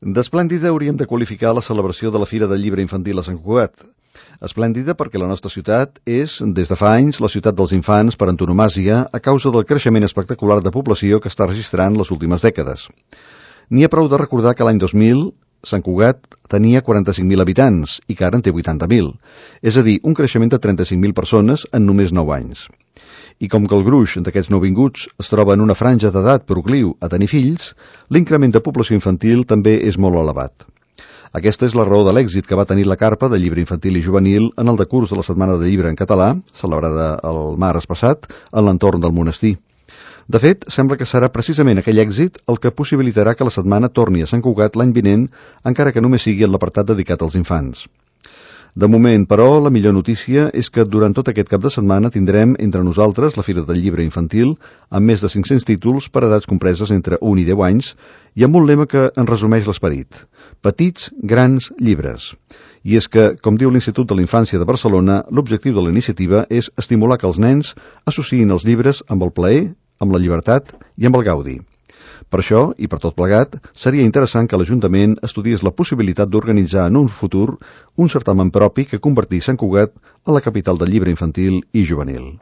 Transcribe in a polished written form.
D'esplèndida hauríem de qualificar la celebració de la Fira del Llibre Infantil a Sant Cugat. Esplèndida perquè la nostra ciutat és, des de fa anys, la ciutat dels infants per antonomàsia a causa del creixement espectacular de població que està registrant les últimes dècades. N'hi ha prou de recordar que l'any 2000 Sant Cugat tenia 45.000 habitants i que ara en té 80.000, és a dir, un creixement de 35.000 persones en només 9 anys. I com que el gruix d'aquests nouvinguts es troba en una franja d'edat procliu a tenir fills, l'increment de població infantil també és molt elevat. Aquesta és la raó de l'èxit que va tenir la carpa de llibre infantil i juvenil en el decurs de la Setmana de Llibre en català, celebrada el març passat, en l'entorn del monestir. De fet, sembla que serà precisament aquell èxit el que possibilitarà que la setmana torni a Sant Cugat l'any vinent, encara que només sigui en l'apartat dedicat als infants. De moment, però, la millor notícia és que durant tot aquest cap de setmana tindrem entre nosaltres la Fira del Llibre Infantil amb més de 500 títols per edats compreses entre 1 i 10 anys i amb un lema que en resumeix l'esperit: petits, grans llibres. I és que, com diu l'Institut de la Infància de Barcelona, l'objectiu de la iniciativa és estimular que els nens associïn els llibres amb el plaer, amb la llibertat i amb el gaudi. Per això, i per tot plegat, seria interessant que l'Ajuntament estudiés la possibilitat d'organitzar en un futur un certamen propi que convertís Sant Cugat a la capital del llibre infantil i juvenil.